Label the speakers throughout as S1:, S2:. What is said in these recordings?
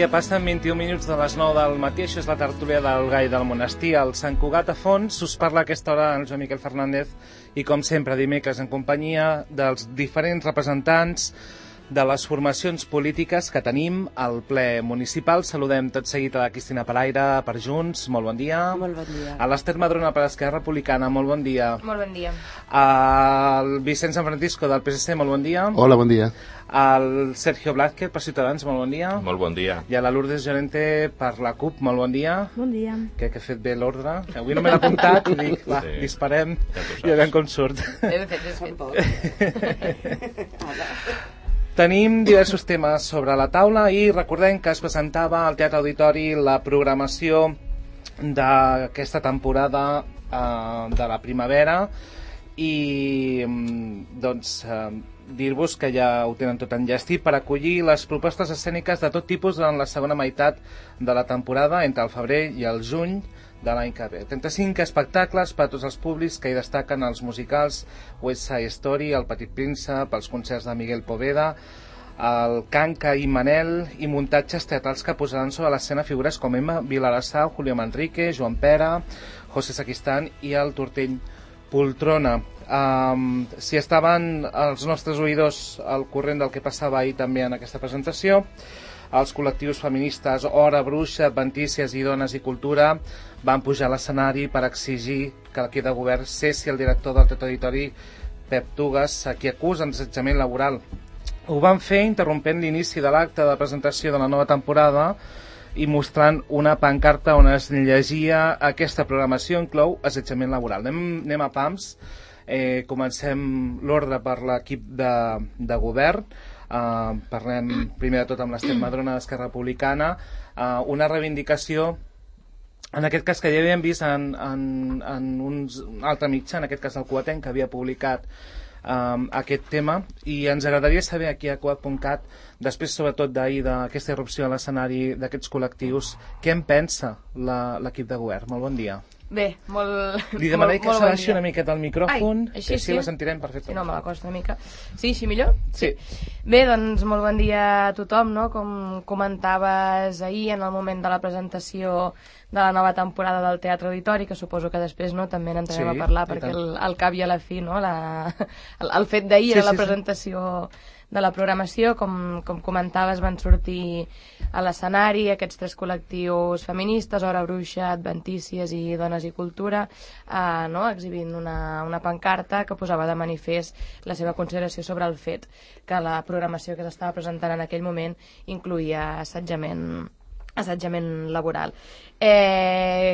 S1: dia, passen 21 minuts de les 9 del matí, això és la tertúlia del Gai del Monestir, al Sant Cugat a Fons. Us parla a aquesta hora el Joan Miquel Fernández i, com sempre, dimecres en companyia dels diferents representants de les formacions polítiques que tenim al ple municipal. Saludem tot seguit a la Cristina Palaire per Junts, molt bon dia.
S2: Molt bon dia.
S1: A l'Ester Madrona per Esquerra Republicana, molt bon dia.
S2: Molt bon dia.
S1: Al Vicent San Francisco del PSC, molt bon dia.
S3: Hola, bon dia.
S1: Al Sergio Blázquez per Ciutadans, molt bon dia.
S4: Molt bon dia.
S1: I a la Lourdes Llorente per la CUP, molt bon dia.
S5: Bon dia.
S1: Que he fet bé l'ordre. Avui no me l'he apuntat i dic, va, sí. Disparem i a veure com surt.
S2: Ben fet.
S1: Tenim diversos temes sobre la taula i recordem que es presentava al Teatre Auditori la programació d'aquesta temporada de la primavera i doncs dir-vos que ja ho tenen tot enllestit per acollir les propostes escèniques de tot tipus durant la segona meitat de la temporada, entre el febrer i el juny de l'any que ve. 35 espectacles per a tots els públics, que hi destaquen els musicals West Side Story, El Petit Príncep, els concerts de Miguel Poveda, el Canca i Manel, i muntatges teatrals que posaran sobre l'escena figures com Emma Vilarassau, Julio Manrique, Joan Pera, José Saquistán i el Tortell Poltrona. Si estaven els nostres oïdors al corrent del que passava ahir també en aquesta presentació, els col·lectius feministes Hora, Bruixa, Adventícies i Dones i Cultura van pujar a l'escenari per exigir que l'equip de govern cessi el director del Teatre Auditori, Pep Tugas, a qui acusen d'assetjament laboral. Ho van fer interrompent l'inici de l'acte de presentació de la nova temporada i mostrant una pancarta on es llegia: aquesta programació inclou assetjament laboral. Anem a pams. Comencem l'ordre per l'equip de govern. Parlem primer de tot amb l'Ester Madrona d'Esquerra Republicana. Una reivindicació, en aquest cas, que ja havíem vist en un altre mitjà, en aquest cas el Cugatenc, que havia publicat aquest tema, i ens agradaria saber aquí a Cugat.cat, després sobretot d'ahir d'aquesta irrupció a l'escenari d'aquests col·lectius, què en pensa l'equip de govern. Molt bon dia.
S2: Bé, molt...
S1: Li demanaré que
S2: bon
S1: s'abaixi
S2: dia.
S1: una miqueta el micròfon,
S2: així,
S1: que així
S2: sí?
S1: la sentirem perfectament.
S2: Sí, no, me l'acosto una mica. Sí, així millor?
S1: Sí.
S2: Bé, doncs molt bon dia a tothom, no? Com comentaves ahir en el moment de la presentació de la nova temporada del Teatre Auditori, que suposo que després també n'entrarem a parlar, perquè al cap i a la fi, no? El fet d'ahir era la presentació de la programació. Com comentaves, van sortir a l'escenari aquests tres col·lectius feministes, Hora, Bruixa, Adventícies i Dones i Cultura, exhibint una pancarta que posava de manifest la seva consideració sobre el fet que la programació que s'estava presentant en aquell moment incloïa assetjament laboral.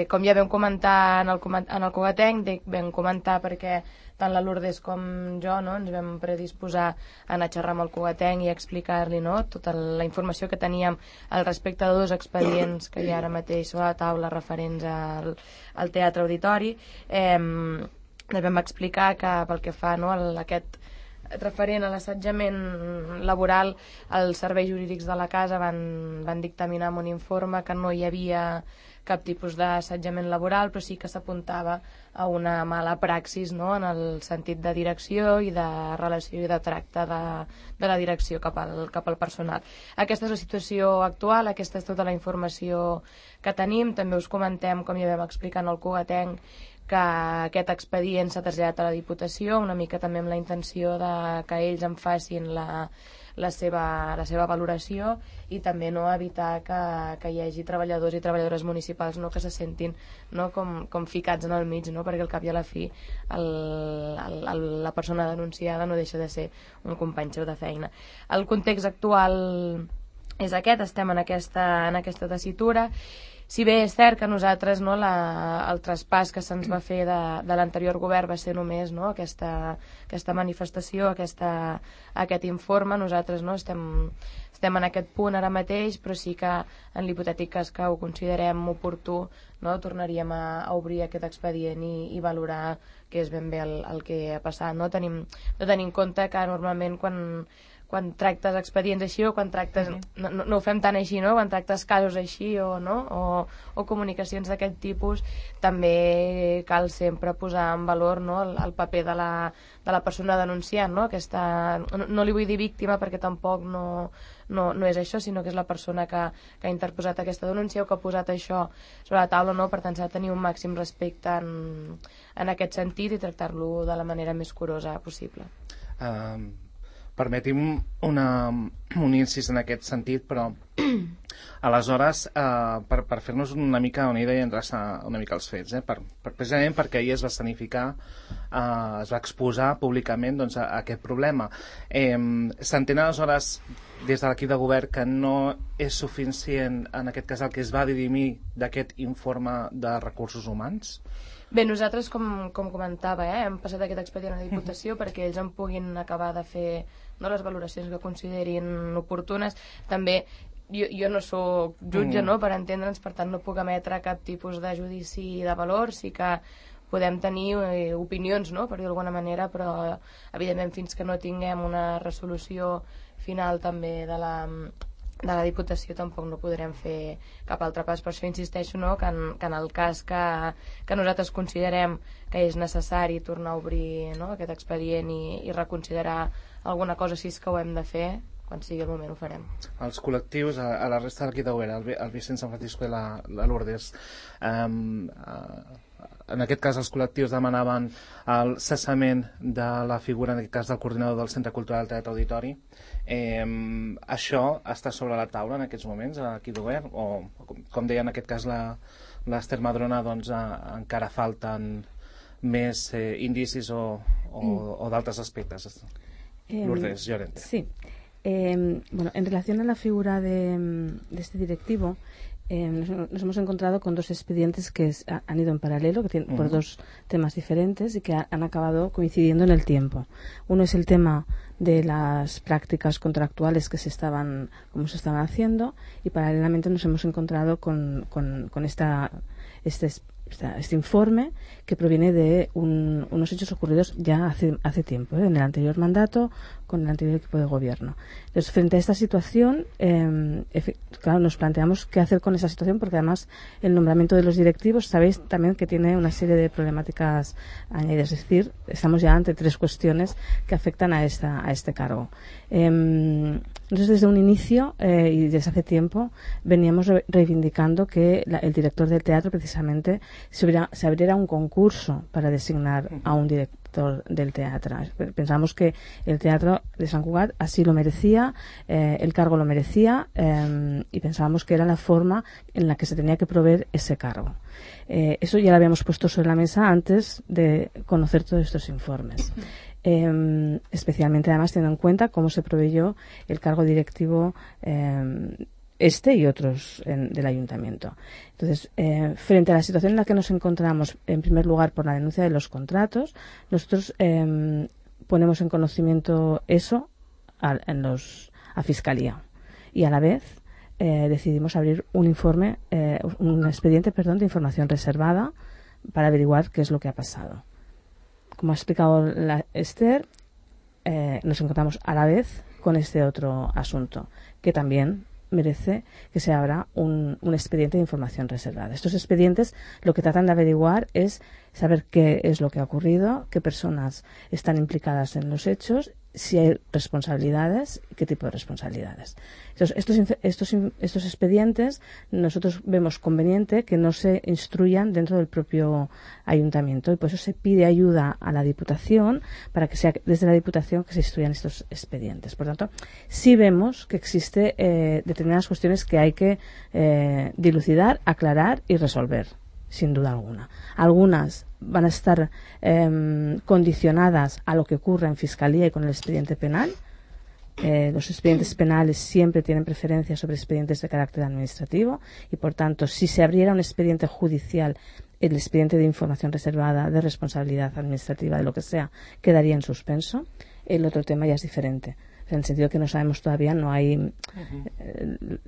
S2: Com ja vam comentar en el Cugatenc, vam comentar perquè tant la Lourdes com jo ens vam predisposar a anar a xerrar amb el Cugatenc i explicar-li tota la informació que teníem al respecte de dos expedients que hi ha ara mateix sobre la taula referents al Teatre Auditori. Vam explicar que pel que fa a aquest referent a l'assetjament laboral, els serveis jurídics de la casa van dictaminar en un informe que no hi havia cap tipus d'assetjament laboral, però sí que s'apuntava a una mala praxis, en el sentit de direcció i de relació i de tracte de la direcció cap al personal. Aquesta és la situació actual, aquesta és tota la informació que tenim. També us comentem, com ja vam explicar en el Cugatenc, que aquest expedient s'ha traslladat a la Diputació, una mica també amb la intenció que ells en facin la seva valoració i també evitar que hi hagi treballadors i treballadores municipals que se sentin com ficats en el mig, perquè al cap i a la fi la persona denunciada no deixa de ser un company seu de feina. El context actual és aquest, estem en aquesta tessitura. Si bé és cert que nosaltres el traspàs que se'ns va fer de l'anterior govern va ser només aquesta manifestació, aquest informe, nosaltres estem en aquest punt ara mateix, però sí que en l'hipotètic cas que ho considerem oportú, tornaríem a obrir aquest expedient i valorar què és ben bé el que ha passat. No tenir en compte que normalment quan tractes expedients així o quan tractes... No ho fem tant així, no? Quan tractes casos així o comunicacions d'aquest tipus, també cal sempre posar en valor, no, el paper de la persona denunciant, no? No li vull dir víctima perquè tampoc no és això, sinó que és la persona que ha interposat aquesta denúncia o que ha posat això sobre la taula, no? Per tant, s'ha de tenir un màxim respecte en aquest sentit i tractar-lo de la manera més curosa possible.
S1: Permeti'm un incís en aquest sentit, però aleshores, per fer-nos una mica una idea i endreçar una mica els fets, precisament perquè ahir es va escenificar, es va exposar públicament, doncs, aquest problema. S'entén aleshores des de l'equip de govern que no és suficient en aquest cas el que es va dirimir d'aquest informe de recursos humans?
S2: Bé, nosaltres, com comentava, hem passat aquest expedient a la Diputació perquè ells en puguin acabar de fer, no, les valoracions que considerin oportunes. També jo no sóc jutge, no, per entendre'ns, per tant no puc emetre cap tipus de judici de valor. Sí que podem tenir opinions, no, per dir d'alguna manera, però evidentment fins que no tinguem una resolució final també de la Diputació tampoc no podrem fer cap altre pas. Per això insisteixo, no, que en el cas que nosaltres considerem que és necessari tornar a obrir, no, aquest expedient i reconsiderar alguna cosa, si és que ho hem de fer, quan sigui el moment ho farem.
S1: Els col·lectius, a la resta de l'equip de govern, el Vicent San Francisco i la Lourdes, en aquest cas els col·lectius demanaven el cessament de la figura, en aquest cas del coordinador del Centre Cultural Teatre Auditori. Això està sobre la taula en aquests moments a l'equip de govern, o com deia en aquest cas l'Ester Madrona, doncs encara falten més indicis o d'altres aspectes? Lourdes Llorente.
S3: Sí. Bueno, en relación a la figura de este directivo, nos hemos encontrado con dos expedientes que han ido en paralelo, que tienen por dos temas diferentes y que han acabado coincidiendo en el tiempo. Uno es el tema de las prácticas contractuales que se estaban haciendo, y paralelamente nos hemos encontrado con este informe que proviene de unos hechos ocurridos ya hace tiempo, en el anterior mandato, con el anterior equipo de gobierno. Entonces, frente a esta situación, claro, nos planteamos qué hacer con esa situación, porque además el nombramiento de los directivos, sabéis también que tiene una serie de problemáticas añadidas, es decir, estamos ya ante tres cuestiones que afectan a este cargo. Entonces, desde un inicio y desde hace tiempo veníamos reivindicando que el director del teatro precisamente se abriera un concurso para designar a un director del teatro. Pensamos que el teatro de Sant Cugat así lo merecía, el cargo lo merecía, y pensábamos que era la forma en la que se tenía que proveer ese cargo. Eso ya lo habíamos puesto sobre la mesa antes de conocer todos estos informes. Especialmente además teniendo en cuenta cómo se proveyó el cargo directivo y otros del ayuntamiento. Entonces, frente a la situación en la que nos encontramos, en primer lugar por la denuncia de los contratos, nosotros ponemos en conocimiento eso a Fiscalía, y a la vez decidimos abrir un expediente de información reservada para averiguar qué es lo que ha pasado. Como ha explicado Esther, nos encontramos a la vez con este otro asunto, que también merece que se abra un expediente de información reservada. Estos expedientes lo que tratan de averiguar es saber qué es lo que ha ocurrido, qué personas están implicadas en los hechos, si hay responsabilidades y qué tipo de responsabilidades. Entonces, estos expedientes nosotros vemos conveniente que no se instruyan dentro del propio ayuntamiento, y por eso se pide ayuda a la Diputación para que sea desde la Diputación que se instruyan estos expedientes. Por tanto, sí vemos que existe determinadas cuestiones que hay que dilucidar, aclarar y resolver, sin duda alguna. Algunas van a estar condicionadas a lo que ocurre en Fiscalía y con el expediente penal. Los expedientes penales siempre tienen preferencia sobre expedientes de carácter administrativo, y por tanto, si se abriera un expediente judicial, el expediente de información reservada, de responsabilidad administrativa, de lo que sea, quedaría en suspenso. El otro tema ya es diferente, en el sentido que no sabemos todavía, no hay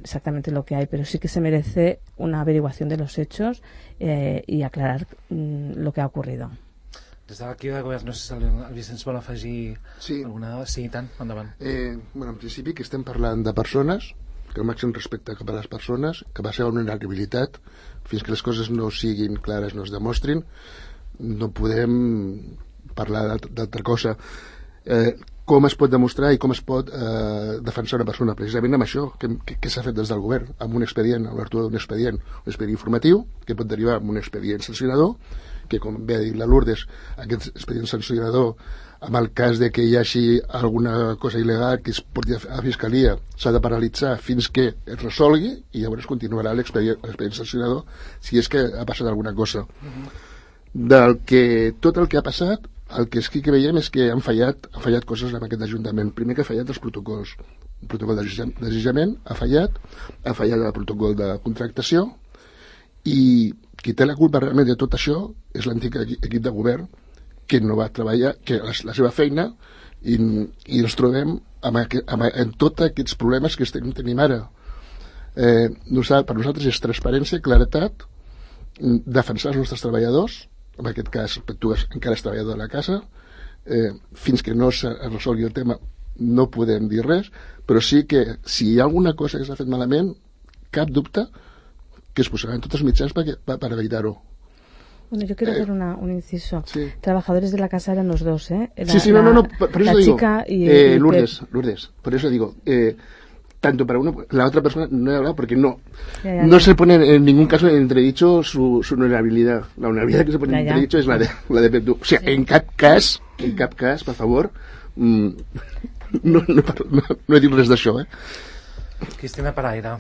S3: exactamente lo que hay, pero sí que se merece una averiguación de los hechos y aclarar lo que ha ocurrido.
S1: Des de l'equip de govern, no sé si el Vicenç vol afegir alguna dada. Sí, i tant, endavant.
S4: En principi que estem parlant de persones, que el màxim respecte cap a les persones, que va ser una vulnerabilitat, fins que les coses no siguin clares, no es demostrin, no podem parlar d'altra cosa. Com es pot demostrar i com es pot defensar una persona? Precisament amb això que s'ha fet des del govern, amb un expedient, amb l'obertura d'un expedient, un expedient informatiu, que pot derivar en un expedient sancionador, que com bé ha dit la Lourdes, aquest expedient sancionador, en el cas de que hi hagi alguna cosa il·legal que es porti a Fiscalia, s'ha de paralitzar fins que es resolgui i llavors continuarà l'expedient sancionador si és que ha passat alguna cosa. Tot el que ha passat, el que sí que veiem és que han fallat coses en aquest Ajuntament. Primer que ha fallat els protocols. El protocol d'assetjament ha fallat el protocol de contractació, i qui té la culpa realment de tot això és l'antic equip de govern, que no va treballar, que la seva feina, i ens trobem amb tots aquests problemes que tenim ara. Per nosaltres és transparència, claretat, defensar els nostres treballadors, en aquest cas tu encara és treballador de la casa, fins que no es resolgui el tema no podem dir res, però sí que si hi ha alguna cosa que s'ha fet malament, cap dubte que es posaran tots els mitjans para evitar-ho.
S3: Bueno, yo quiero hacer un inciso.
S4: Sí.
S3: Trabajadores de la casa eran los dos, ¿eh?
S4: Por eso
S3: la
S4: digo,
S3: chica y
S4: Lourdes, por eso digo, tanto para uno, la otra persona no he hablado porque no se pone en ningún caso en entredicho su vulnerabilidad. La vulnerabilidad que se pone en entredicho es la de Pep Du. O sea, en cap cas, per favor, no he dit res d'això,
S1: Cristina Paraire,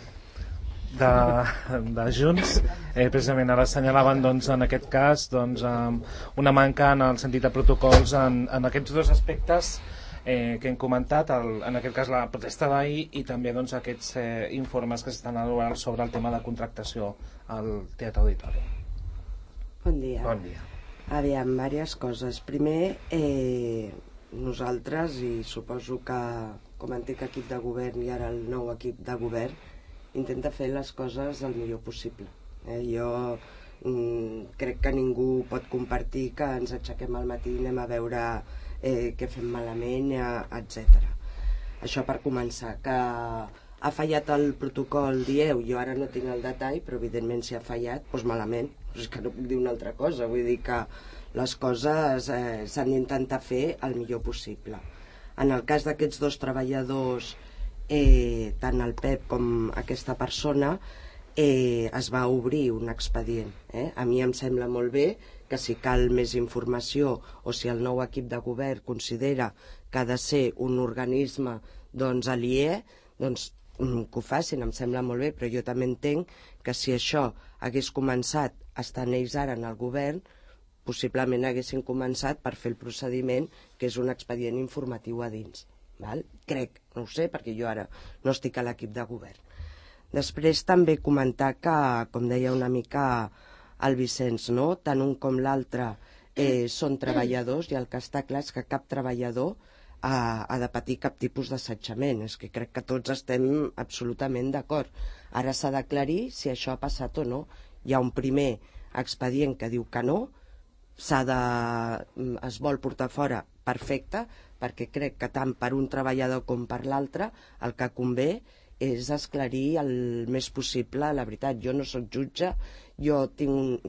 S1: de Junts, precisament ara assenyalaven en aquest cas una manca en el sentit de protocols en aquests dos aspectes que hem comentat, en aquest cas la protesta d'ahir i també aquests informes que s'estan elaborant sobre el tema de contractació al Teatre Auditori.
S5: Bon dia.
S1: Bon dia.
S5: Aviam, diverses coses. Primer, nosaltres, i suposo que com a antic equip de govern i ara el nou equip de govern, intenta fer les coses el millor possible. Jo crec que ningú pot compartir que ens aixequem al matí i anem a veure què fem malament, etc. Això per començar. Que ha fallat el protocol, dieu, jo ara no tinc el detall, però evidentment si ha fallat, doncs malament. És que no puc dir una altra cosa, vull dir que les coses s'han d'intentar fer el millor possible. En el cas d'aquests dos treballadors, tant el Pep com aquesta persona, es va obrir un expedient. A mi em sembla molt bé que si cal més informació o si el nou equip de govern considera que ha de ser un organisme aliè, que ho facin, em sembla molt bé, però jo també entenc que si això hagués començat estant ells ara en el govern, possiblement haguessin començat per fer el procediment, que és un expedient informatiu a dins. Crec, no ho sé, perquè jo ara no estic a l'equip de govern. Després també comentar que, com deia una mica el Vicenç, tant un com l'altre són treballadors, i el que està clar és que cap treballador ha de patir cap tipus d'assetjament. És que crec que tots estem absolutament d'acord. Ara s'ha d'aclarir si això ha passat o no. Hi ha un primer expedient que diu que no, es vol portar fora, perfecte, perquè crec que tant per un treballador com per l'altre el que convé és esclarir el més possible la veritat. Jo no soc jutge, jo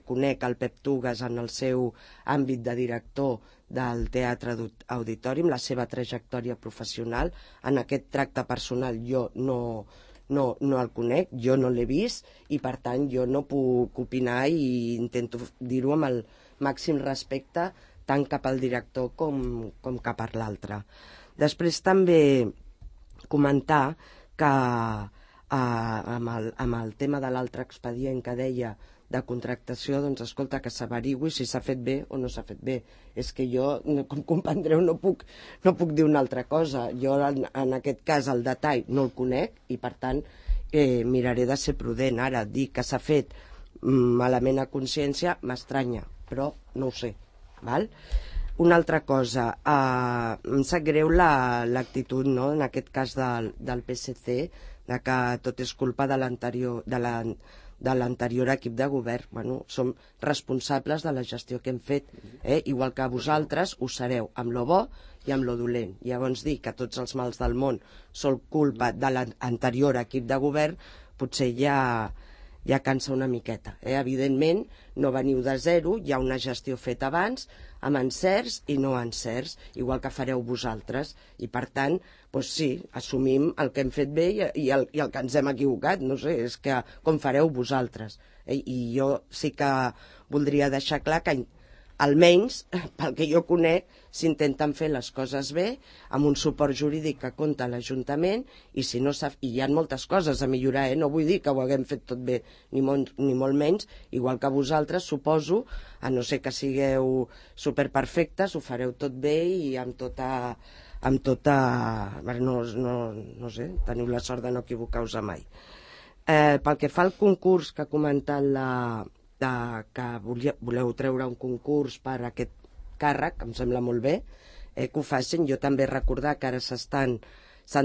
S5: conec el Pep Tugas en el seu àmbit de director del Teatre Auditori, amb la seva trajectòria professional. En aquest tracte personal jo no el conec, jo no l'he vist i per tant jo no puc opinar i intento dir-ho amb el màxim respecte tant cap al director com cap a l'altre. Després també comentar que amb el tema de l'altre expedient que deia de contractació, doncs escolta, que s'averigui si s'ha fet bé o no s'ha fet bé. És que jo, com comprendreu, no puc dir una altra cosa. Jo en aquest cas el detall no el conec i per tant miraré de ser prudent. Ara, dir que s'ha fet malament a consciència m'estranya, però no ho sé. Una altra cosa, em sap greu l'actitud, en aquest cas del PSC, de que tot és culpa de de l'anterior equip de govern. Bueno, som responsables de la gestió que hem fet, igual que vosaltres ho sereu amb lo bo i amb lo dolent. Llavors dir que tots els mals del món són culpa de l'anterior equip de govern potser ja cansa una miqueta. Evidentment, no veniu de zero, hi ha una gestió feta abans, amb encerts i no encerts, igual que fareu vosaltres. I per tant, doncs sí, assumim el que hem fet bé i el que ens hem equivocat, no sé, és que com fareu vosaltres. I jo sí que voldria deixar clar que almenys, pel que jo conec, s'intenten fer les coses bé, amb un suport jurídic que compta l'Ajuntament, i si no hi ha moltes coses a millorar, no vull dir que ho haguem fet tot bé, ni molt menys, igual que vosaltres, suposo, a no ser que sigueu superperfectes, ho fareu tot bé i amb tota no sé, teniu la sort de no equivocar-vos mai. Pel que fa al concurs que ha comentat que voleu treure un concurs per a aquest càrrec, em sembla molt bé que ho facin. Jo també recordar que ara s'han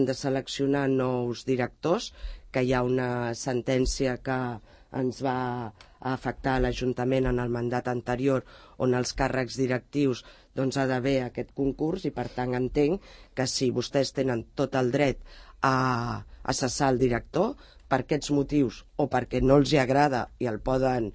S5: de seleccionar nous directors, que hi ha una sentència que ens va afectar a l'Ajuntament en el mandat anterior, on els càrrecs directius doncs ha d'haver aquest concurs, i per tant entenc que si vostès tenen tot el dret a cessar el director per aquests motius o perquè no els hi agrada i el poden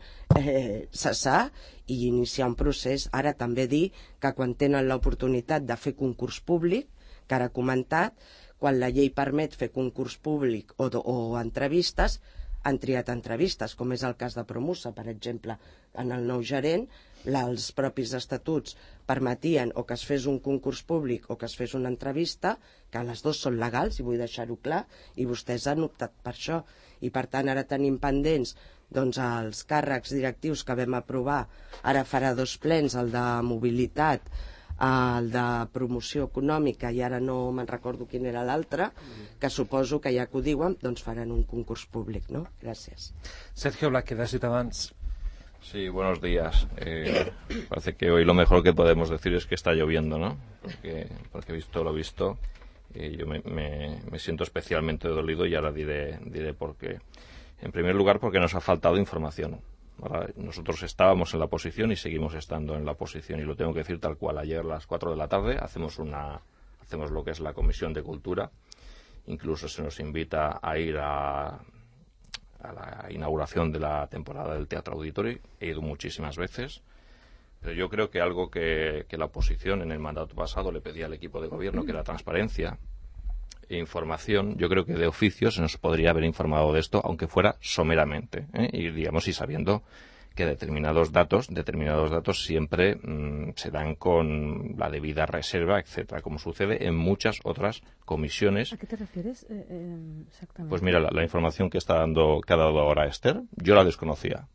S5: cessar i iniciar un procés. Ara també dir que quan tenen l'oportunitat de fer concurs públic, que ara he comentat, quan la llei permet fer concurs públic o entrevistes, han triat entrevistes, com és el cas de Promusa, per exemple. En el nou gerent, els propis estatuts permetien o que es fes un concurs públic o que es fes una entrevista, que les dues són legals, i vull deixar-ho clar, i vostès han optat per això. I per tant ara tenim pendents doncs, els càrrecs directius que vam aprovar, ara farà 2 plens, el de mobilitat, el de promoció econòmica, i ara no me'n recordo quin era l'altre, que suposo que ja que ho diuen, doncs faran un concurs públic, ¿no? Gràcies.
S1: Sergio Blaque, de Ciutadans.
S6: Sí, buenos días. Parece que hoy lo mejor que podemos decir es que está lloviendo, ¿no? Porque visto lo visto, yo me siento especialmente dolido, y ahora diré por qué. En primer lugar, porque nos ha faltado información. Ahora, nosotros estábamos en la oposición y seguimos estando en la oposición, y lo tengo que decir tal cual. Ayer a las 4 de la tarde hacemos lo que es la Comisión de Cultura. Incluso se nos invita a ir a la inauguración de la temporada del Teatro Auditori. He ido muchísimas veces, pero yo creo que algo que la oposición en el mandato pasado le pedía al equipo de gobierno, que era transparencia e información, yo creo que de oficio se nos podría haber informado de esto, aunque fuera someramente, y sabiendo que determinados datos siempre se dan con la debida reserva, etcétera, como sucede en muchas otras comisiones.
S3: ¿A qué te refieres exactamente?
S6: Pues mira, la información que ha dado ahora Esther, yo la desconocía.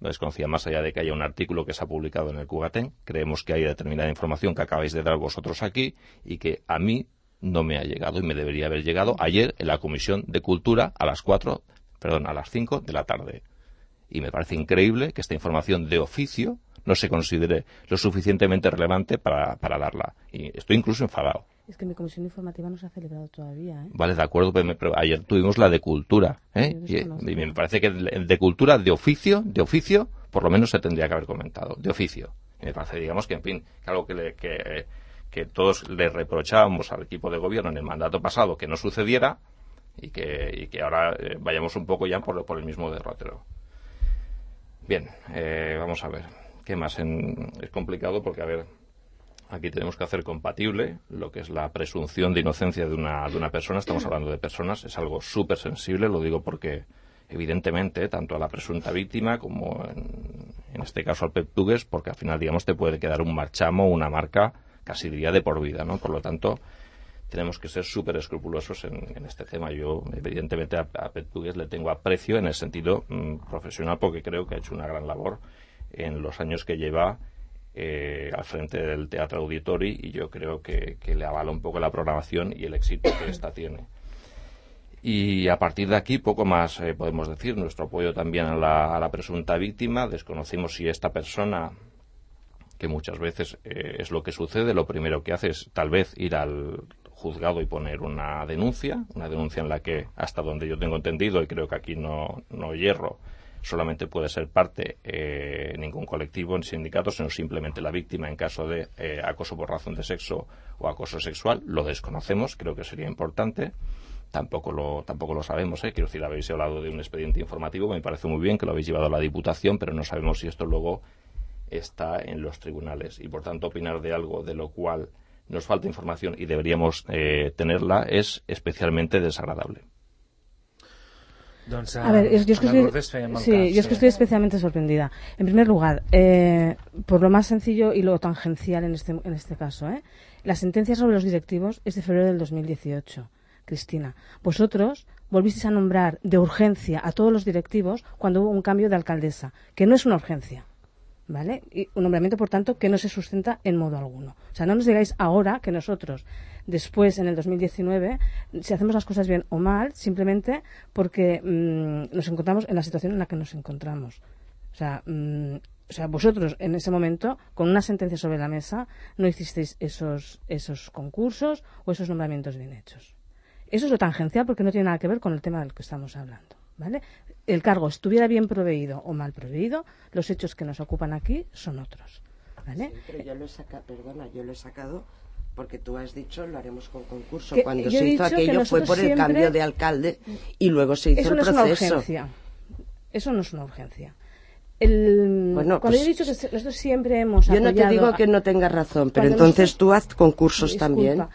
S6: La desconocía, más allá de que haya un artículo que se ha publicado en el Cugatén. Creemos que hay determinada información que acabáis de dar vosotros aquí y que a mí no me ha llegado, y me debería haber llegado ayer en la Comisión de Cultura a las 5 de la tarde. Y me parece increíble que esta información de oficio no se considere lo suficientemente relevante para darla. Y estoy incluso enfadado.
S3: Es que mi comisión informativa no se ha celebrado todavía, ¿eh?
S6: Vale, de acuerdo, pero ayer tuvimos la de cultura, y me parece que de cultura de oficio, por lo menos se tendría que haber comentado, de oficio. Y me parece, digamos, que en fin, que algo que todos le reprochábamos al equipo de gobierno en el mandato pasado que no sucediera, y que ahora vayamos un poco ya por el mismo derrotero. Bien, vamos a ver. ¿Qué más? Es complicado porque, a ver, aquí tenemos que hacer compatible lo que es la presunción de inocencia de una persona. Estamos hablando de personas, es algo súper sensible, lo digo porque, evidentemente, tanto a la presunta víctima como, en este caso, al peptugues, porque al final, digamos, te puede quedar un marchamo, una marca, casi diría de por vida, ¿no? Por lo tanto, tenemos que ser súper escrupulosos en este tema. Yo, evidentemente, a Peptugues le tengo aprecio en el sentido profesional, porque creo que ha hecho una gran labor en los años que lleva al frente del Teatro Auditori, y yo creo que le avala un poco la programación y el éxito que esta tiene. Y a partir de aquí, poco más podemos decir. Nuestro apoyo también a la presunta víctima. Desconocimos si esta persona, que muchas veces es lo que sucede, lo primero que hace es tal vez ir al juzgado y poner una denuncia en la que, hasta donde yo tengo entendido, y creo que aquí no hierro, solamente puede ser parte ningún colectivo ni sindicato, sino simplemente la víctima en caso de acoso por razón de sexo o acoso sexual. Lo desconocemos, creo que sería importante. Tampoco lo sabemos, Quiero decir, habéis hablado de un expediente informativo, me parece muy bien que lo habéis llevado a la Diputación, pero no sabemos si esto luego está en los tribunales. Y por tanto, opinar de algo de lo cual nos falta información y deberíamos tenerla es especialmente desagradable.
S3: A ver, yo es que estoy especialmente sorprendida. En primer lugar, por lo más sencillo y lo tangencial en este caso, la sentencia sobre los directivos es de febrero del 2018. Cristina, vosotros volvisteis a nombrar de urgencia a todos los directivos cuando hubo un cambio de alcaldesa, que no es una urgencia, ¿vale? Y un nombramiento, por tanto, que no se sustenta en modo alguno. O sea, no nos digáis ahora que nosotros, después, en el 2019, si hacemos las cosas bien o mal, simplemente porque nos encontramos en la situación en la que nos encontramos. O sea, vosotros en ese momento, con una sentencia sobre la mesa, no hicisteis esos concursos o esos nombramientos bien hechos. Eso es lo tangencial porque no tiene nada que ver con el tema del que estamos hablando, ¿vale? El cargo estuviera bien proveído o mal proveído, los hechos que nos ocupan aquí son otros, ¿vale?
S5: Sí, pero yo lo he sacado porque tú has dicho lo haremos con concurso.
S3: Que
S5: cuando se hizo aquello fue por el cambio de alcalde y luego se hizo el proceso.
S3: Eso no es una urgencia. Cuando yo he dicho que nosotros siempre hemos apoyado...
S5: Yo no te digo que no tengas razón, pero entonces tú haz concursos también.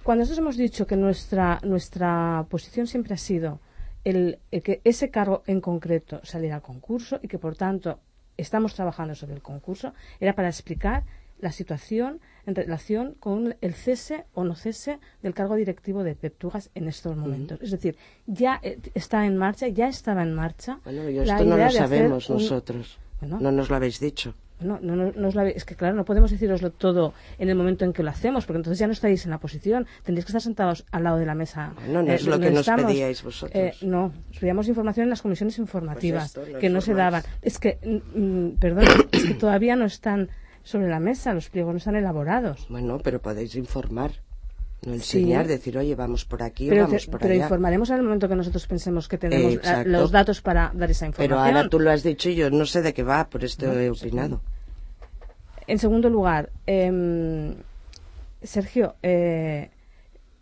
S3: Cuando nosotros hemos dicho que nuestra posición siempre ha sido el que ese cargo en concreto saliera al concurso y que por tanto estamos trabajando sobre el concurso, era para explicar la situación en relación con el cese o no cese del cargo directivo de Peptugas en estos momentos. Es decir, ya está en marcha, ya estaba en marcha.
S5: Bueno, esto no lo sabemos nosotros. No nos lo habéis dicho.
S3: Es que claro, no podemos deciroslo todo en el momento en que lo hacemos, porque entonces ya no estáis en la posición, tendréis que estar sentados al lado de la mesa.
S5: No es lo que nos pedíais vosotros.
S3: No, pedíamos información en las comisiones informativas, pues que no se daban. Es que, perdón, es que todavía no están sobre la mesa, los pliegos no están elaborados.
S5: Bueno, pero podéis informar. No enseñar, decir, oye, vamos por aquí o vamos por allá.
S3: Pero informaremos en el momento que nosotros pensemos que tenemos los datos para dar esa información.
S5: Pero ahora tú lo has dicho y yo no sé de qué va, por esto he opinado.
S3: En segundo lugar, Sergio,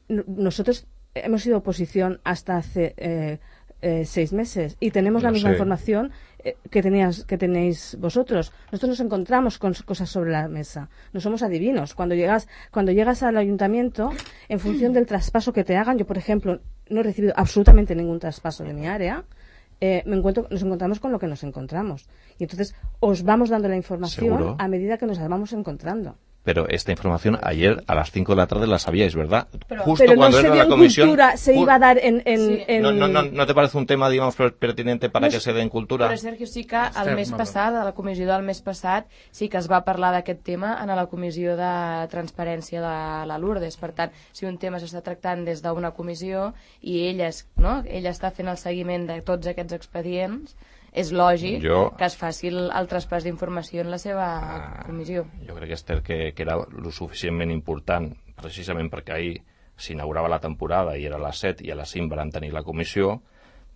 S3: nosotros hemos sido oposición hasta hace 6 meses y tenemos la misma información que tenéis vosotros. Nosotros nos encontramos con cosas sobre la mesa. No somos adivinos. Cuando llegas al ayuntamiento, en función del traspaso que te hagan, yo, por ejemplo, no he recibido absolutamente ningún traspaso de mi área, nos encontramos con lo que nos encontramos. Y entonces os vamos dando la información
S6: ¿Seguro?
S3: A medida que nos la vamos encontrando.
S6: Pero esta información ayer a las 5 de la tarde la sabíais, ¿verdad?
S3: Justo cuando era la comisión. Se iba a dar en...
S6: ¿No te parece un tema, digamos, pertinente para que se dé en cultura?
S2: Però, Sergio, sí que el mes passat, a la comissió del mes passat, sí que es va parlar d'aquest tema en la comissió de transparència de la Lourdes. Per tant, si un tema s'està tractant des d'una comissió i ella està fent el seguiment de tots aquests expedients, és lògic que es faci el traspàs d'informació en la seva comissió.
S6: Jo crec, Esther, que era lo suficientment important, precisament perquè ahir s'inaugurava la temporada i era a les 7 i a les 5 van tenir la comissió,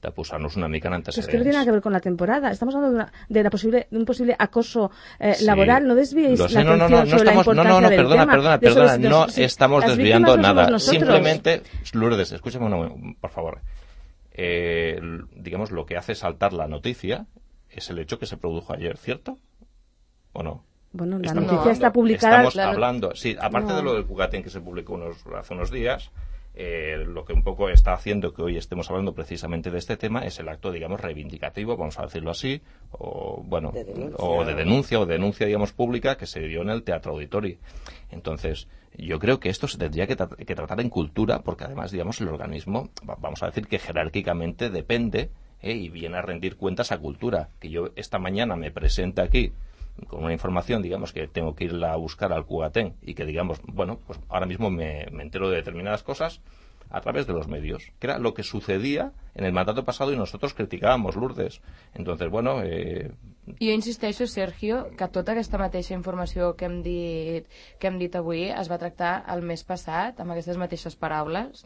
S6: de posar-nos una mica en antecedents.
S3: Es que no tiene nada que ver con la temporada. Estamos hablando de un posible acoso laboral. No desviéis la atención sobre la importancia del tema.
S6: Perdona, no estamos desviando nada. Simplemente, Lourdes, escúchame por favor. Digamos, lo que hace saltar la noticia es el hecho que se produjo ayer, ¿cierto? ¿O no?
S3: Bueno, la noticia está publicada.
S6: Estamos hablando, sí, aparte de lo del Cugatén que se publicó hace unos días, lo que un poco está haciendo que hoy estemos hablando precisamente de este tema es el acto, digamos, reivindicativo, vamos a decirlo así, o de denuncia, digamos, pública que se dio en el Teatro Auditori. Entonces, yo creo que esto se tendría que tratar en cultura, porque además, digamos, el organismo, vamos a decir que jerárquicamente depende y viene a rendir cuentas a cultura. Que yo esta mañana me presente aquí con una información, digamos, que tengo que irla a buscar al Cugatén y que, digamos, bueno, pues ahora mismo me entero de determinadas cosas a través de los medios, que era lo que sucedía en el mandato pasado y nosotros criticábamos, Lourdes. Entonces, bueno...
S2: Jo insisteixo, Sergio, que tota aquesta mateixa informació que hem dit avui es va tractar el mes passat, amb aquestes mateixes paraules,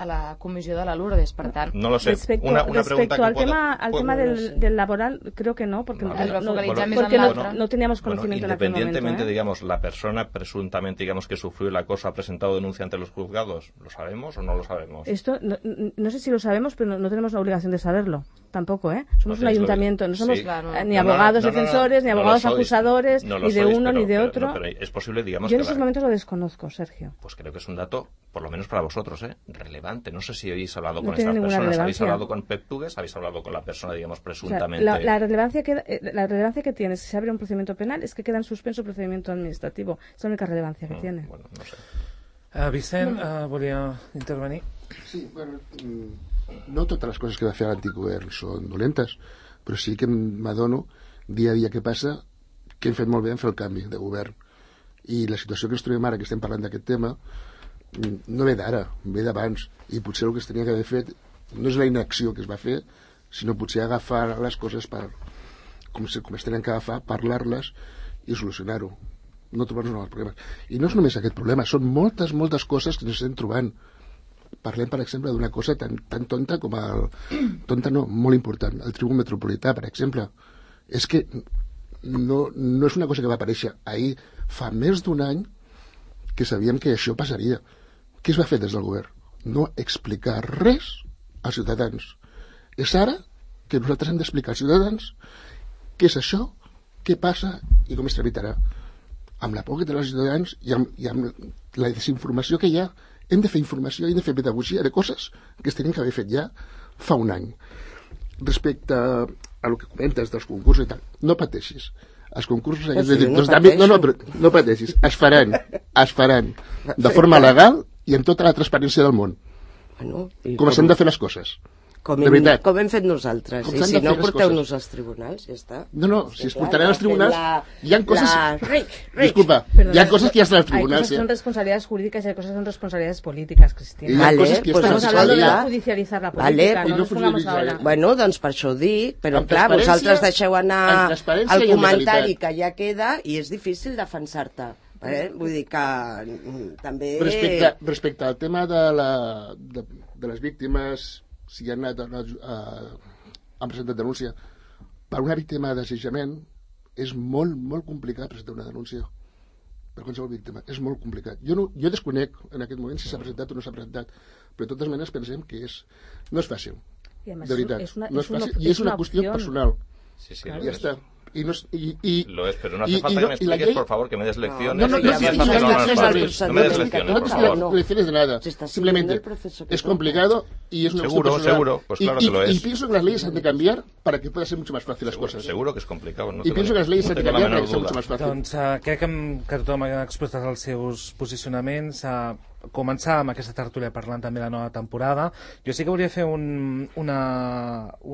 S2: a la comissió de la Lourdes, per tant.
S6: No lo sé.
S3: Respecto al tema del laboral, creo que no, porque no teníamos conocimiento en aquel momento.
S6: Independientemente, digamos, la persona presuntamente, digamos, que sufrió el acoso ha presentado denuncia ante los juzgados, ¿lo sabemos o no lo sabemos?
S3: Esto, no sé si lo sabemos, pero no tenemos la obligación de saberlo. Tampoco, ¿eh? Somos un ayuntamiento, no somos ni abogados defensores, ni abogados acusadores, ni de uno ni de otro.
S6: Pero es posible, digamos,
S3: yo en esos momentos lo desconozco, Sergio.
S6: Pues creo que es un dato, por lo menos para vosotros, relevante. No sé si habéis hablado con estas personas, habéis hablado con Pep Tugues, habéis hablado con la persona, digamos, presuntamente.
S3: O sea, la relevancia que tiene si se abre un procedimiento penal es que queda en suspenso el procedimiento administrativo. Es la única relevancia que tiene.
S6: Bueno, no sé.
S1: Vicent, volia intervenir?
S4: Sí, bueno, no totes les coses que va fer l'antic govern són dolentes, però sí que m'adono dia a dia que passa que hem fet molt bé en fer el canvi de govern. I la situació que ens trobem ara, que estem parlant d'aquest tema, no ve d'ara, ve d'abans. I potser el que es tenia que haver fet no és la inacció que es va fer, sinó potser agafar les coses com es tenen que agafar, parlar-les i solucionar-ho. No trobar-nos nous problemes. I no és només aquest problema, són moltes coses que ens estem trobant. Parlem, per exemple, d'una cosa tan tonta com tonta no, molt important, el Tribunal Metropolità, per exemple. És que no és una cosa que va aparèixer ahir. Fa més d'un any que sabíem que això passaria. Què es va fer des del govern? No explicar res als ciutadans. És ara que nosaltres hem d'explicar als ciutadans què és això, què passa i com es tramitarà. Amb la por que tenen els ciutadans i amb la desinformació que hi ha, hem de fer informació, hem de fer pedagogia de coses que es tenien que haver fet ja fa un any. Respecte a el que comentes dels concursos i tal, no pateixis. Els concursos no pateixis, es faran de forma legal i amb tota la transparència del món, com s'han de fer les coses.
S5: Com hem fet nosaltres. I si no, porteu-nos als tribunals, ja està.
S4: No, si es portaran als tribunals, hi ha coses... Disculpa, hi ha coses que ja estan als tribunals.
S3: Hay cosas que son responsabilidades jurídicas y hay cosas que son responsabilidades políticas, Cristina.
S5: Vale,
S3: estamos hablando de judicializar la política, no nos pongamos ahora.
S5: Bueno, doncs per això ho dic, però clar, vosaltres deixeu anar el comentari que ja queda i és difícil defensar-te. Vull dir que també...
S4: Respecte al tema de les víctimes, si han presentat denúncia, per una víctima d'assetjament és molt complicat presentar una denúncia per qualsevol víctima, és molt complicat. Jo desconec en aquest moment si s'ha presentat o no s'ha presentat, però de totes maneres pensem que no és fàcil, de veritat, no és fàcil, i és una qüestió personal.
S6: Sí,
S4: ja està.
S6: Lo es, pero no hace falta que me expliques, por favor, que me des lecciones.
S4: No me des lecciones de nada. Simplemente es complicado y es una cuestión personal.
S6: Seguro, pues claro que lo es.
S4: Y pienso que las leyes han de cambiar para que pueda ser mucho más fácil las cosas.
S6: Seguro que es complicado.
S4: Y pienso que las leyes han de cambiar para que sea mucho más fácil.
S1: Doncs crec que tothom ha expressat els seus posicionaments. Començar amb aquesta tertúlia parlant també de la nova temporada. Jo sí que volia fer un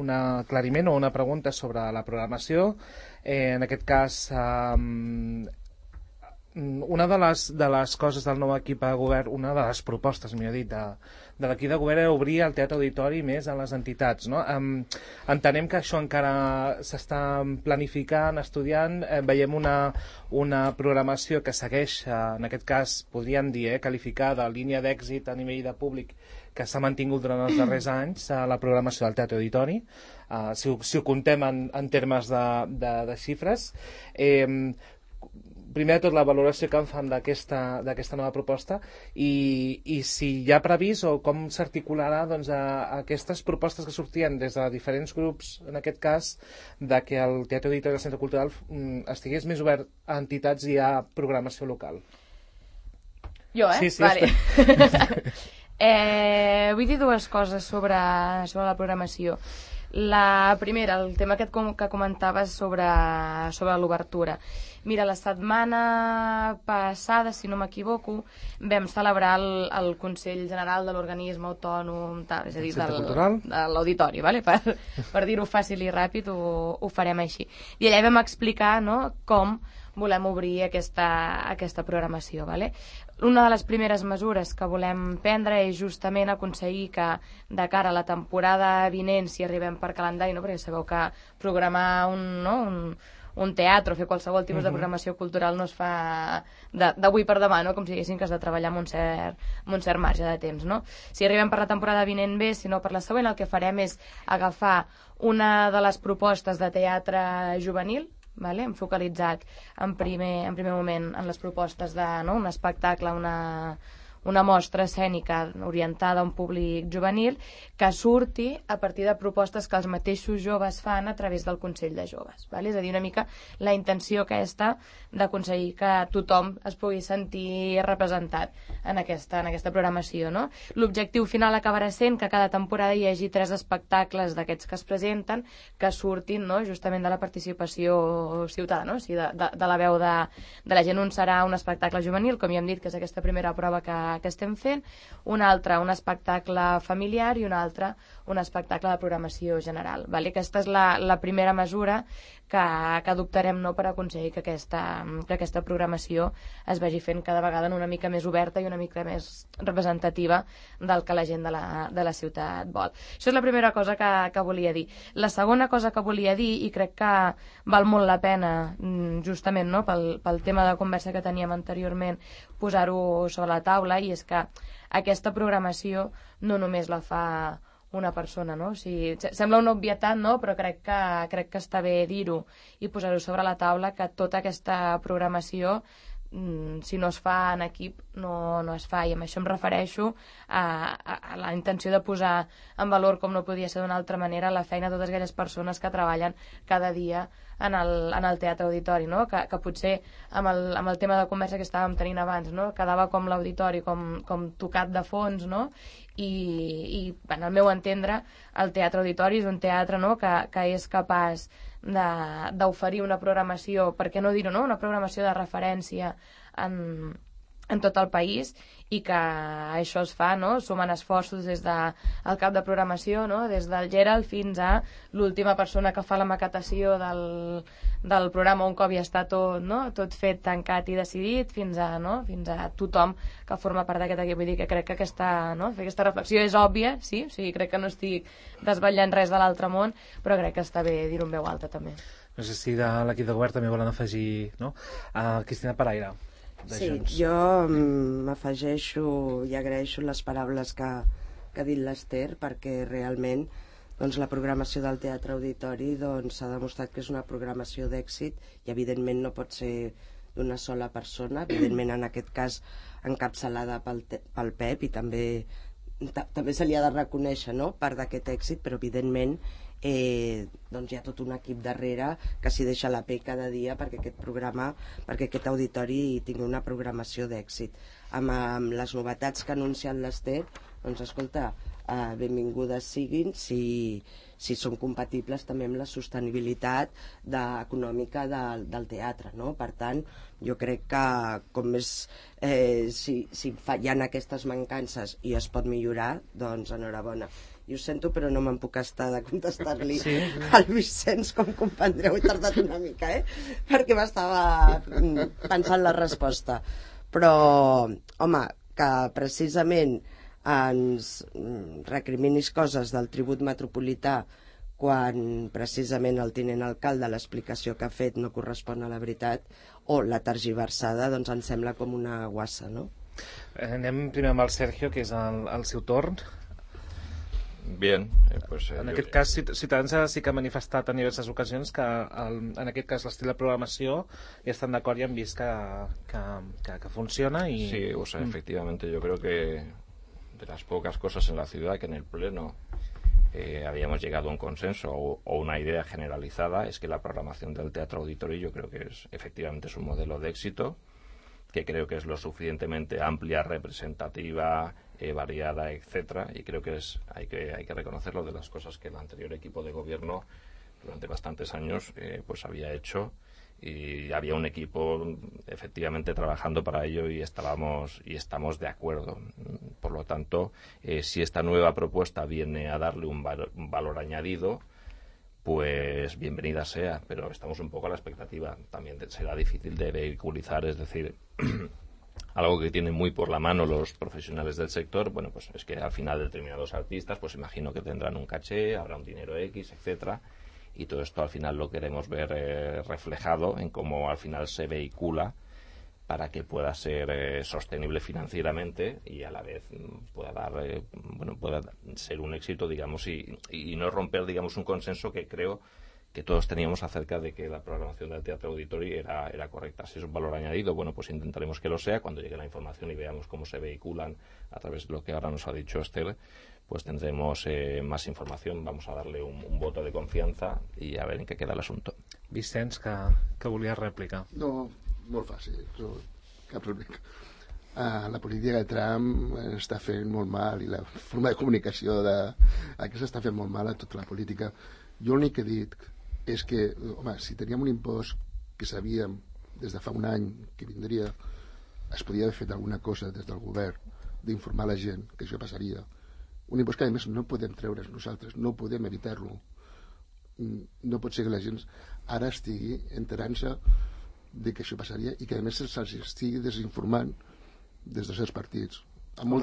S1: aclariment o una pregunta sobre la programació. En aquest cas, una de les coses del nou equip de govern, una de les propostes, millor dit, de l'equip de govern era obrir el teatre auditori més a les entitats, no? Entenem que això encara s'està planificant, estudiant, veiem una programació que segueix, en aquest cas podríem dir, qualificada línia d'èxit a nivell de públic que s'ha mantingut durant els darrers anys, la programació del teatre auditori, si ho contem en termes de xifres. Primer de tot, la valoració que en fan d'aquesta nova proposta i si hi ha previst o com s'articularà aquestes propostes que sortien des de diferents grups, en aquest cas, de que el Teatre Auditori del Centre Cultural estigués més obert a entitats i a programació local.
S2: Jo,
S1: Sí,
S2: vale. Vull dir dues coses sobre la programació. La primera, el tema que comentaves sobre l'obertura. Mira, la setmana passada, si no m'equivoco, vam celebrar el Consell General de l'Organisme Autònom, és a dir, de l'Auditori, vale? Per dir-ho fàcil i ràpid, ho farem així. I allà vam explicar, no, com volem obrir aquesta programació, vale? Una de les primeres mesures que volem prendre és justament aconseguir que de cara a la temporada vinent, si arribem per calendari, no? Perquè sabeu que programar un teatre o fer qualsevol tipus de programació cultural no es fa d'avui per demà, no? Com si diguéssim que has de treballar amb un cert marge de temps, no? Si arribem per la temporada vinent bé, si no per la següent, el que farem és agafar una de les propostes de teatre juvenil, vale? Hem focalitzat en primer moment en les propostes d'un espectacle, una mostra escènica orientada a un públic juvenil que surti a partir de propostes que els mateixos joves fan a través del Consell de Joves. Vale? És a dir, una mica la intenció aquesta d'aconseguir que tothom es pugui sentir representat en aquesta programació. No? L'objectiu final acabarà sent que cada temporada hi hagi 3 espectacles d'aquests que es presenten que surtin, no? Justament de la participació ciutadana, no? O sigui, de la veu de la gent. Un serà un espectacle juvenil, com ja hem dit, que és aquesta primera prova que estem fent, un altre un espectacle familiar i un altre un espectacle de programació general. Vale? Aquesta és la primera mesura que adoptarem, no, per aconseguir que aquesta programació es vagi fent cada vegada una mica més oberta i una mica més representativa del que la gent de la ciutat vol. Això és la primera cosa que volia dir. La segona cosa que volia dir, i crec que val molt la pena, justament, no, pel tema de conversa que teníem anteriorment, posar-ho sobre la taula, i és que aquesta programació no només la fa una persona, no? O sigui, sembla una obvietat, no? Però crec que està bé dir-ho i posar-ho sobre la taula, que tota aquesta programació, si no es fa en equip, no es fa. I amb això em refereixo a la intenció de posar en valor, com no podia ser d'una altra manera, la feina de totes aquelles persones que treballen cada dia en el teatre auditori, no? Que potser amb el tema de conversa que estàvem tenint abans, no? Quedava com l'auditori com tocat de fons, no? I en el meu entendre, el teatre auditori és un teatre, no? que és capaç d'oferir una programació, per què no dir-ho, no? Una programació de referència en tot el país, i que això es fa, no? Sumant esforços des del cap de programació, no? Des del Gerald fins a l'última persona que fa la maquetació del programa un cop ja està tot, no? Tot fet, tancat i decidit, fins a tothom que forma part d'aquest equip. Vull dir que crec que aquesta reflexió és òbvia, sí? O sigui, crec que no estic desvetllant res de l'altre món, però crec que està bé dir-ho en veu alta també.
S1: No sé si de l'equip de govern també volen afegir, no? Cristina Paraire.
S5: Sí, jo m'afegeixo i agraeixo les paraules que ha dit l'Ester, perquè realment la programació del Teatre Auditori s'ha demostrat que és una programació d'èxit, i evidentment no pot ser d'una sola persona, evidentment en aquest cas encapçalada pel Pep, i també se li ha de reconèixer, no?, part d'aquest èxit, però evidentment hi ha tot un equip darrere que s'hi deixa la pell cada dia perquè aquest auditori tingui una programació d'èxit. Amb les novetats que ha anunciat l'Ester, escolta, benvingudes siguin si són compatibles també amb la sostenibilitat econòmica del teatre, no? Per tant, jo crec que com més si hi ha aquestes mancances i es pot millorar, doncs enhorabona. I ho sento, però no me'n puc estar de contestar-li al Vicenç, com comprendreu, he tardat una mica, perquè m'estava pensant la resposta. Però, home, que precisament ens recriminis coses del tribut metropolità quan precisament el tinent alcalde l'explicació que ha fet no correspon a la veritat, o la tergiversada, doncs em sembla com una guassa, no?
S1: Anem primer amb el Sergio, que és el seu torn.
S6: Bien, pues...
S1: En aquest cas, Ciutadans sí que ha manifestat en diverses ocasions que en aquest cas l'estil de programació ja estan d'acord i han vist que funciona y...
S6: Sí, o sea, efectivamente yo creo que de las pocas cosas en la ciudad que en el Pleno habíamos llegado a un consenso o una idea generalizada es que la programación del Teatro Auditorio yo creo que efectivamente es un modelo de éxito, que creo que es lo suficientemente amplia, representativa, variada, etcétera, y creo que hay que reconocerlo de las cosas que el anterior equipo de gobierno durante bastantes años pues había hecho, y había un equipo efectivamente trabajando para ello y estamos de acuerdo. Por lo tanto, si esta nueva propuesta viene a darle un valor añadido, pues bienvenida sea, pero estamos un poco a la expectativa. También será difícil de vehiculizar, es decir, algo que tienen muy por la mano los profesionales del sector, bueno, pues es que al final determinados artistas, pues imagino que tendrán un caché, habrá un dinero X, etcétera, y todo esto al final lo queremos ver reflejado en cómo al final se vehicula para que pueda ser sostenible financieramente y a la vez pueda dar pueda ser un éxito, digamos, y no romper, digamos, un consenso que creo que todos teníamos acerca de que la programación del Teatro Auditori era correcta. Si es un valor añadido, bueno, pues intentaremos que lo sea. Cuando llegue la información y veamos cómo se vehiculan a través de lo que ahora nos ha dicho Esther, pues tendremos más información. Vamos a darle un voto de confianza y a ver en qué queda el asunto.
S1: Vicenç, que volies rèplica?
S4: No, molt fàcil, no, cap rèplica. La política de Trump està fent molt mal i la forma de comunicació aquesta està fent molt mal a tota la política. Jo l'únic que he dit és que, home, si teníem un impost que sabíem des de fa un any que vindria, es podia haver fet alguna cosa des del govern d'informar la gent que això passaria. Un impost que a més no podem treure's nosaltres, no podem evitar-lo. No pot ser que la gent ara estigui enterant-se de que això passaria i que a més se'ls estigui desinformant des dels seus partits. No,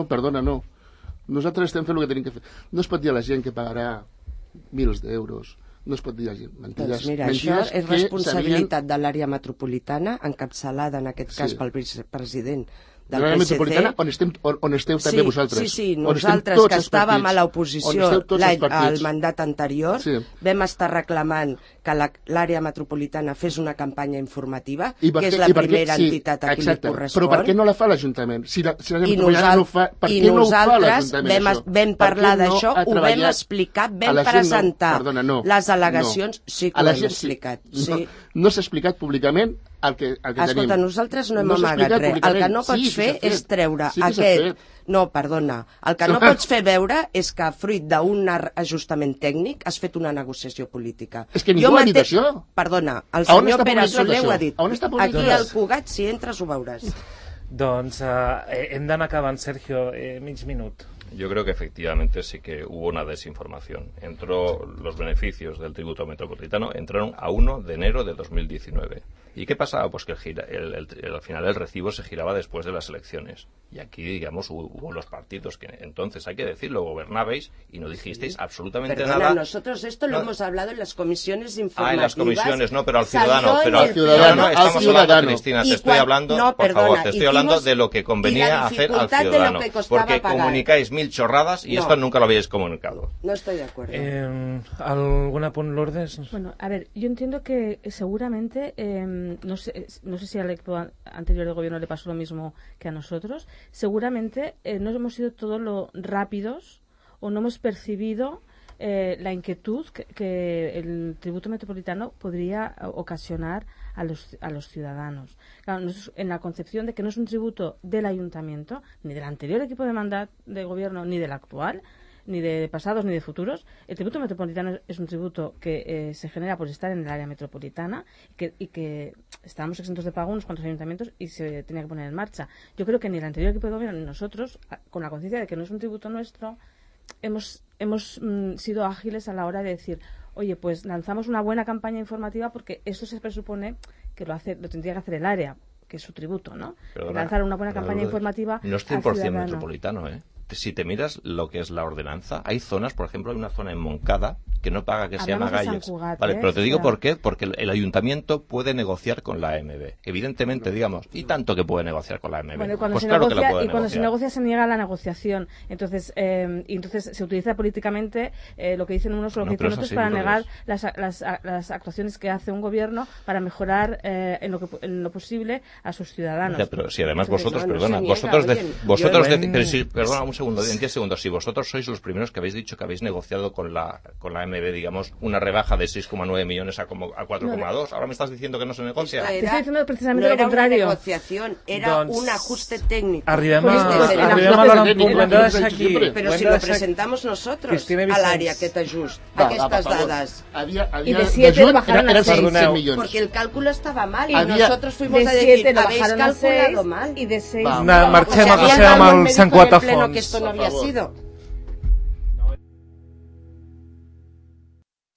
S4: perdona, no. Nosaltres estem fent el que tenim que fer. No es pot dir a la gent que pagarà milers d'euros, no es pot dir a la gent mentides.
S5: Doncs mira, això és responsabilitat de l'àrea metropolitana, encapçalada en aquest cas pel vicepresident del
S4: l'àrea metropolitana on esteu també vosaltres.
S5: Sí, nosaltres que estàvem a l'oposició al mandat anterior vam estar reclamant que l'àrea metropolitana fes una campanya informativa, que és la primera entitat a qui li correspon.
S4: Però per què no la fa l'Ajuntament?
S5: I nosaltres vam parlar d'això, ho vam explicar, vam presentar les al·legacions. Sí que ho hem explicat.
S4: No s'ha explicat públicament el que tenim.
S5: Escolta, nosaltres no hem amagat res. El que no pots fer és treure aquest... No, perdona. El que no pots fer veure és que, fruit d'un ajustament tècnic, has fet una negociació política.
S4: És que ningú ha dit això.
S5: Perdona, el senyor Pere Soler ho ha dit. Aquí al Cugat, si entres, ho veuràs.
S1: Doncs hem d'anar acabant, Sergio, mig minut.
S6: Yo creo que efectivamente sí que hubo una desinformación. Los beneficios del tributo metropolitano entraron a 1 de enero de 2019. ¿Y qué pasaba? Pues que al final el recibo se giraba después de las elecciones. Y aquí, digamos, hubo los partidos que entonces, hay que decirlo, gobernabais y no dijisteis absolutamente nada.
S5: Nosotros esto lo hemos hablado en las comisiones informativas.
S6: En las comisiones, no, pero al ciudadano. Estamos hablando, Cristina, te estoy hablando, por favor, te estoy hablando de lo que convenía hacer al ciudadano. Porque comunicáis 1000 chorradas y esto nunca lo habéis comunicado.
S5: No estoy de acuerdo.
S1: ¿Algún apunt, Lourdes?
S3: Bueno, a ver, yo entiendo que seguramente, no sé si al equipo anterior de gobierno le pasó lo mismo que a nosotros, seguramente no hemos sido todos lo rápidos o no hemos percibido la inquietud que el tributo metropolitano podría ocasionar a los ciudadanos. Claro, en la concepción de que no es un tributo del ayuntamiento, ni del anterior equipo de gobierno, ni del actual, ni de pasados ni de futuros. El tributo metropolitano es un tributo que se genera por estar en el área metropolitana y que estábamos exentos de pago unos cuantos ayuntamientos y se tenía que poner en marcha. Yo creo que ni el anterior equipo de gobierno ni nosotros, con la conciencia de que no es un tributo nuestro, hemos sido ágiles a la hora de decir, oye, pues lanzamos una buena campaña informativa porque eso se presupone que lo tendría que hacer el área, que es su tributo, ¿no? Lanzar una buena campaña informativa.
S6: No es 100% metropolitano, ¿eh? Si te miras lo que es la ordenanza, hay zonas, por ejemplo, hay una zona en Moncada que no paga, que se llama Galles. Vale, pero te digo por qué, porque el ayuntamiento puede negociar con la AMB. Evidentemente, digamos, y tanto que puede negociar con la AMB.
S3: Bueno, cuando se negocia se niega la negociación. Entonces se utiliza políticamente lo que dicen unos o lo que dicen otros para negar las actuaciones que hace un gobierno para mejorar en lo posible a sus ciudadanos.
S6: Ya, pero si además vosotros, perdona, perdona un segundo, en 10 segundos, si vosotros sois los primeros que habéis dicho que habéis negociado con la AMB, digamos, una rebaja de 6,9 millones a 4,2, ahora me estás diciendo que no se negocia.
S3: Te estoy diciendo precisamente lo contrario.
S5: Era una negociación, era un ajuste técnico.
S1: Arribem a l'hora en punt, ho hem de deixar aquí.
S5: Però si lo presentamos nosotros al área, aquest ajust, aquestes dades.
S3: Y de 7 bajaron a 6
S4: millones.
S5: Porque el cálculo estaba mal y nosotros fuimos a decir, habéis calculado mal.
S3: Y de 6
S1: marxem, passem al Sant Cuatafons.
S5: Que esto no había sido.